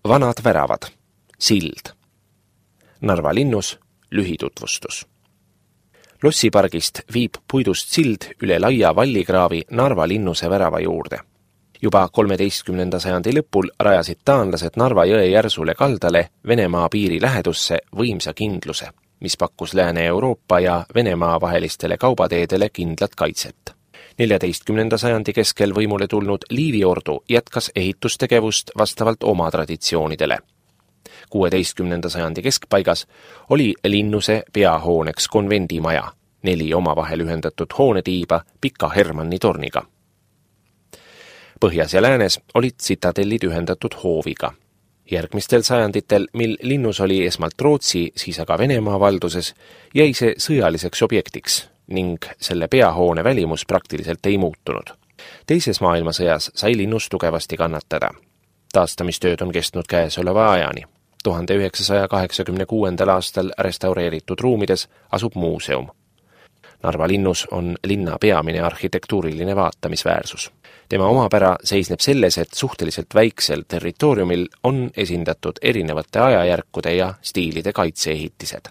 Vanad väravad. Sild. Narva linnus lühitutvustus. Lossipargist viib puidust sild üle laia vallikraavi Narva linnuse värava juurde. Juba 13. sajandi lõpul rajasid taanlased Narva jõe järsule kaldale Venemaa piiri lähedusse võimsa kindluse, mis pakkus Lääne-Euroopa ja Venemaa vahelistele kaubateedele kindlat kaitset. 14. sajandi keskel võimule tulnud Liiviordu jätkas ehitustegevust vastavalt oma traditsioonidele. 16. sajandi keskpaigas oli linnuse peahooneks konvendimaja, 4 omavahel ühendatud hoonetiiba Pika Hermanni torniga. Põhjas ja läänes olid tsitadellid ühendatud hooviga. Järgmistel sajanditel, mil linnus oli esmalt Rootsi, siis aga Venemaa valduses, jäi see sõjaliseks objektiks ning selle peahoone välimus praktiliselt ei muutunud. Teises maailmasõjas sai linnus tugevasti kannatada. Taastamistööd on kestnud käesoleva ajani. 1986. aastal restaureeritud ruumides asub muuseum. Narva linnus on linna peamine arhitektuuriline vaatamisväärsus. Tema omapära seisneb selles, et suhteliselt väiksel territooriumil on esindatud erinevate ajajärkude ja stiilide kaitseehitised.